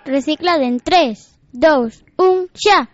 Reciclade en 3, 2, 1, xa!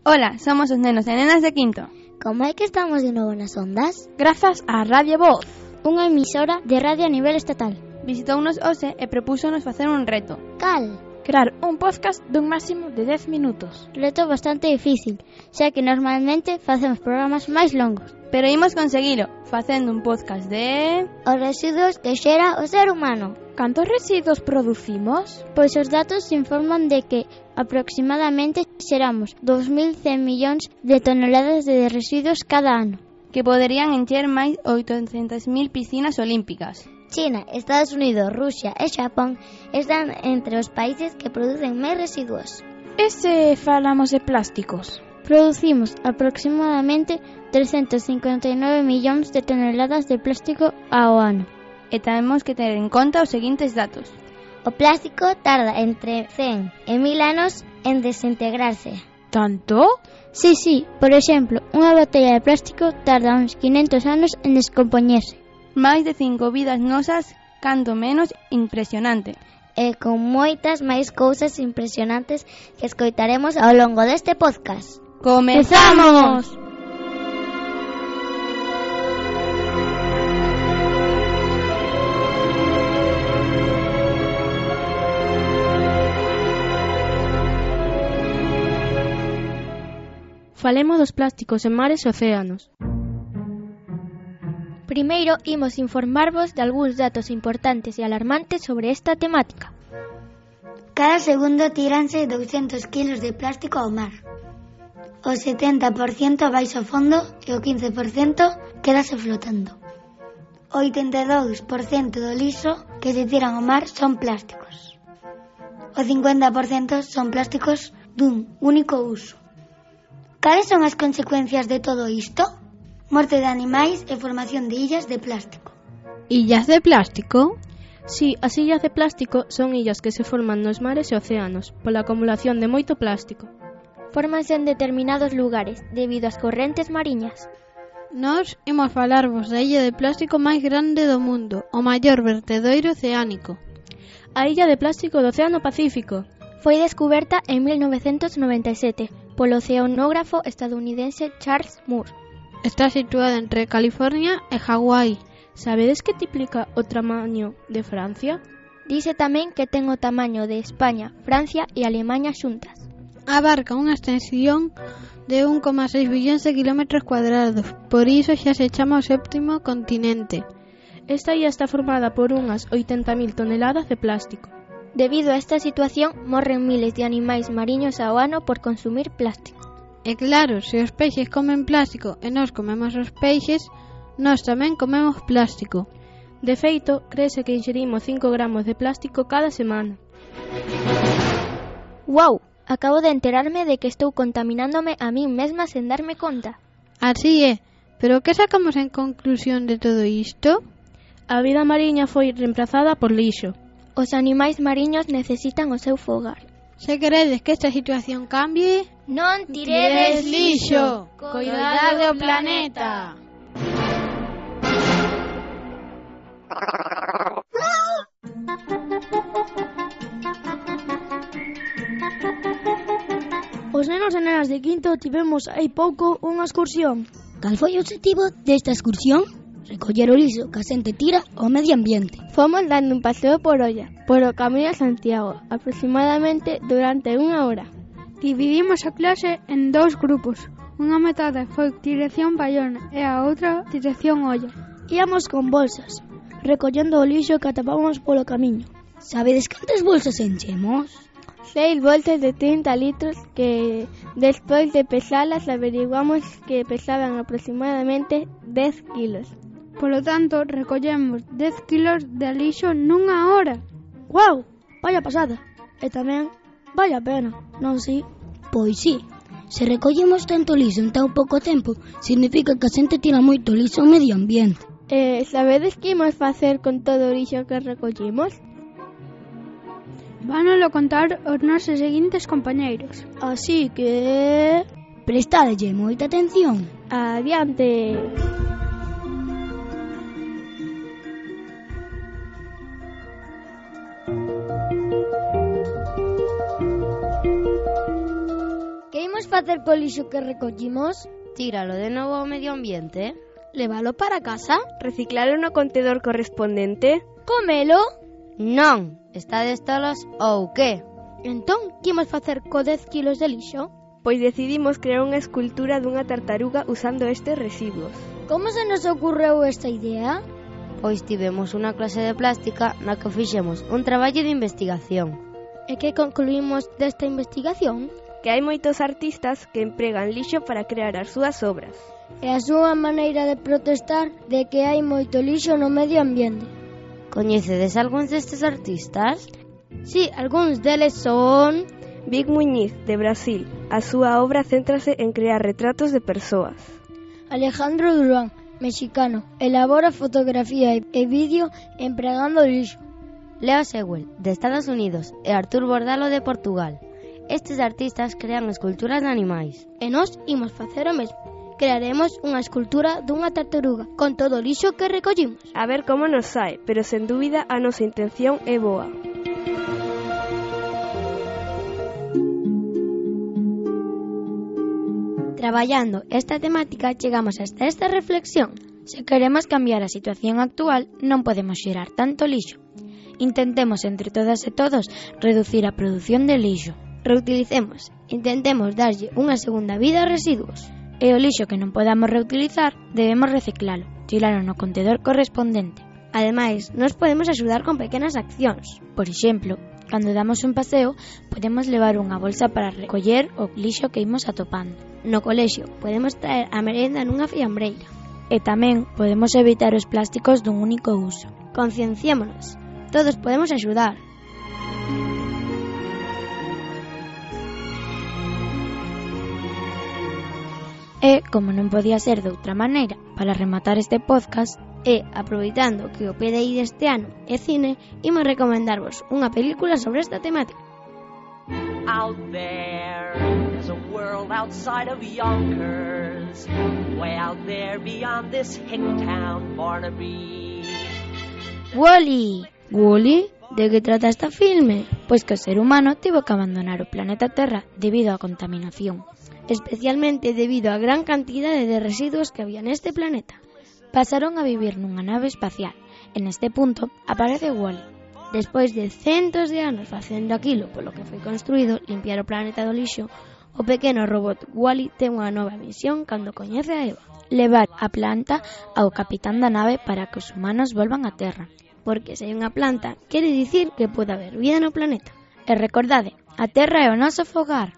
Ola, somos os nenos e nenas de quinto. Como é que estamos de novo nas ondas? Grazas a Radio Voz, unha emisora de radio a nivel estatal. Visitounos hoxe e propúxonos facer un reto. Cal? Crear un podcast dun máximo de 10 minutos. Reto bastante difícil, xa que normalmente facemos programas máis longos. Pero imos conseguilo, facendo un podcast de... Os residuos que xera o ser humano. Cantos residuos producimos? Pois os datos informan de que aproximadamente xeramos 2.100 millóns de toneladas de residuos cada ano, que poderían encher máis 800.000 piscinas olímpicas. China, Estados Unidos, Rusia e Xapón están entre os países que producen máis residuos. E se falamos de plásticos? Producimos aproximadamente 359 millóns de toneladas de plástico ao ano. E temos que ter en conta os seguintes datos. O plástico tarda entre 100 e 1000 anos en desintegrarse. ¿Tanto? Sí, por exemplo, unha botella de plástico tarda uns 500 anos en descompoñerse. Máis de 5 vidas nosas, canto menos impresionante. E con moitas máis cousas impresionantes que escoitaremos ao longo deste podcast. ¡Comezamos! Falemos dos plásticos en mares e océanos. Primeiro, imos informarvos de algúns datos importantes e alarmantes sobre esta temática. Cada segundo tíranse 200 kilos de plástico ao mar. O 70% vai ao fondo e o 15% quedase flotando. O 82% do lixo que se tiran ao mar son plásticos. O 50% son plásticos dun único uso. Cales son as consecuencias de todo isto? Morte de animais e formación de illas de plástico. ¿Illas de plástico? Sí, as illas de plástico son illas que se forman nos mares e océanos pola acumulación de moito plástico. Fórmanse en determinados lugares debido ás correntes mariñas. Nós imos falarvos da illa de plástico máis grande do mundo, o maior vertedoiro oceánico. A illa de plástico do Océano Pacífico. Foi descuberta en 1997 polo oceanógrafo estadounidense Charles Moore. Está situada entre California e Hawái. Sabedes que triplica o tamaño de Francia? Dice tamén que ten o tamaño de España, Francia e Alemaña xuntas. Abarca unha extensión de 1,6 billóns de kilómetros cuadrados, por iso xa se chama o séptimo continente. Esta illa está formada por unhas 80.000 toneladas de plástico. Debido a esta situación, morren miles de animais mariños ao ano por consumir plástico. E claro, se os peixes comen plástico e nós comemos os peixes, nós tamén comemos plástico. De feito, créese que inxerimos 5 gramos de plástico cada semana. Wow, acabo de enterarme de que estou contaminándome a min mesma sen darme conta. Así é, pero que sacamos en conclusión de todo isto? A vida mariña foi reemplazada por lixo. Os animais mariños necesitan o seu fogar. Se queredes que esta situación cambie, non tiredes lixo, coidade do planeta. Os nenos e nenas de quinto tivemos hai pouco unha excursión. Cal foi o objetivo desta excursión? Recoller o lixo que a xente tira ao medio ambiente. Fomos dando un paseo por olla, por o Camiño a Santiago, aproximadamente durante unha hora. Dividimos a clase en 2 grupos. Unha metade foi dirección Bayona e a outra dirección Olla. Íamos con bolsas, recollendo o lixo que atopábamos polo camiño. Sabedes cantas bolsas enchemos? 6 bolsas de 30 litros que, despois de pesalas, averiguamos que pesaban aproximadamente 10 kilos. Polo tanto, recollemos 10 kilos de lixo nunha hora. Guau, vaya pasada. E tamén, vaya pena, non si? Pois sí, se recollemos tanto lixo en tan pouco tempo, significa que a xente tira moito lixo ao medio ambiente. Sabedes que imos facer con todo o lixo que recollimos? Vánolo contar os nosos seguintes compañeiros. Así que... prestadelle moita atención. Adiante! imos facer co lixo que recollimos? Tíralo de novo ao medio ambiente. Levalo para casa? Reciclalo no contedor correspondente? Comelo? Non, estades tolos ou que? Entón, que imos facer co 10 kilos de lixo? Pois decidimos crear unha escultura dunha tartaruga usando estes residuos. Como se nos ocorreu esta idea? Pois tivemos unha clase de plástica na que fixemos un traballo de investigación. E que concluímos desta investigación? Que hai moitos artistas que empregan lixo para crear as súas obras. É a súa maneira de protestar de que hai moito lixo no medio ambiente. Coñecedes algúns destes artistas? Sí, algúns deles son... Vic Muñiz, de Brasil. A súa obra céntrase en crear retratos de persoas. Alejandro Durán, mexicano, elabora fotografía e vídeo empregando lixo. Leo Sewell, de Estados Unidos, e Artur Bordalo, de Portugal. Estes artistas crean esculturas de animais. E nós imos facer o mesmo. Crearemos unha escultura dunha tartaruga con todo o lixo que recollimos. A ver como nos sae, pero sen dúbida a nosa intención é boa. Traballando esta temática chegamos hasta esta reflexión. Se queremos cambiar a situación actual, non podemos xerar tanto lixo. Intentemos entre todas e todos reducir a produción de lixo. Reutilicemos, intentemos darlle unha segunda vida aos residuos. E o lixo que non podamos reutilizar, debemos reciclalo, tiralo no contedor correspondente. Ademais, nos podemos axudar con pequenas accións. Por exemplo, cando damos un paseo, podemos levar unha bolsa para recoller o lixo que imos atopando. No colexio, podemos traer a merenda nunha fiambreira. E tamén podemos evitar os plásticos dun único uso. Concienciémonos, todos podemos axudar. E, como non podía ser de outra maneira, para rematar este podcast, e, aproveitando que o PDI deste ano é cine, imos recomendarvos unha película sobre esta temática. Out there's a world outside of Yonkers, way out there beyond this hick town, Barnaby. Wall-E. Wall-E? De que trata este filme? Pois que o ser humano tivo que abandonar o planeta Terra debido á contaminación, especialmente debido á gran cantidade de residuos que había neste planeta. Pasaron a vivir nunha nave espacial. En este punto aparece Wall-E. Despois de centos de anos facendo aquilo polo que foi construído, limpiar o planeta do lixo, o pequeno robot Wall-E ten unha nova misión cando coñece a Eva: levar a planta ao capitán da nave para que os humanos volvan á Terra. Porque se hai unha planta, quere dicir que pode haber vida no planeta. E recordade, a Terra é o noso fogar.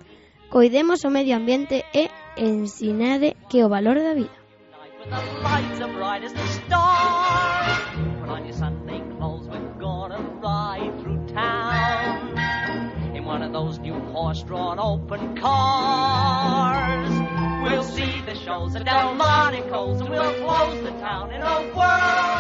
Coidemos o medio ambiente e ensinade que o valor da vida. One of those new horse-drawn open cars. We'll see the shows at Delmonico's and we'll close the town in a whirl.